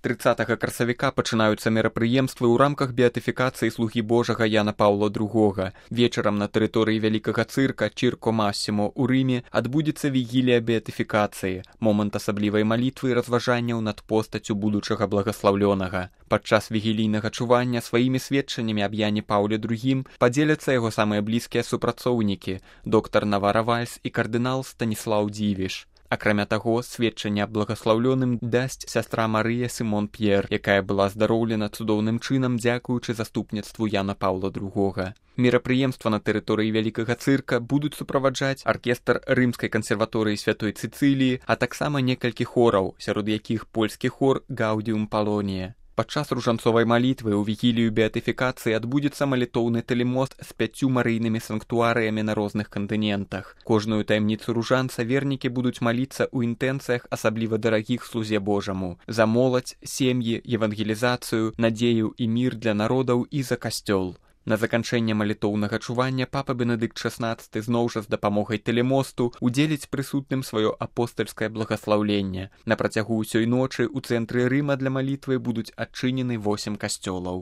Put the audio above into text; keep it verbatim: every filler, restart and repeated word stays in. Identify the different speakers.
Speaker 1: трыццатага красавіка пачынаюцца мерапрыемствы ў рамках беатыфікацыі слугі Божага Яна Паўла другога. Вечарам на тэрыторыі вялікага цырка Чірко Масімо ў Рыме адбудзецца вігілія беатыфікацыі, момант асаблівай малітвы і разважанняў над постаццю будучага благаслаўлёнага. Падчас вігілійнага чування сваімі сведчаннямі аб Яне Паўле другім падзеляцца яго самыя блізкія супрацоўнікі, доктар Навара Вальс і кардынал Станіслаў Дзівіш. Акрамя таго, сведчанне аб благаслаўлёным дасць сястра Марыя Сімон П'ер, якая была здароўлена цудоўным чынам дзякуючы заступніцтву Яна Паўла другога. Мерапрыемства на тэрыторыі вялікага цырка будуць суправаджаць аркестр Рымскай кансерваторыі Святой Цыцыліі, а таксама некалькі хораў, сярод якіх польскі хор Гаўдіум Палонія. Падчас ружанцовай малітвы ў вігілію беатыфікацыі адбудзецца малітоўны тэлемост з пяццю марыйнымі санктуарыямі на розных кантынентах. Кожную таямніцу ружанца вернікі будуць маліцца ў інтэнцыях асабліва дарагіх слузе Божаму за моладзь, сем'і, евангелізацыю, надзею і мір для народаў і за касцёл. На заканчэнне малітоўнага чування папа Бенедыкт шаснаццаты зноў жа з дапамогай тэлемосту удзеліць прысутным сваё апостальскае благаслаўленне. На працягу ўсёй ночы ў цэнтры Рыма для малітвы будуць адчынены восем касцёлаў.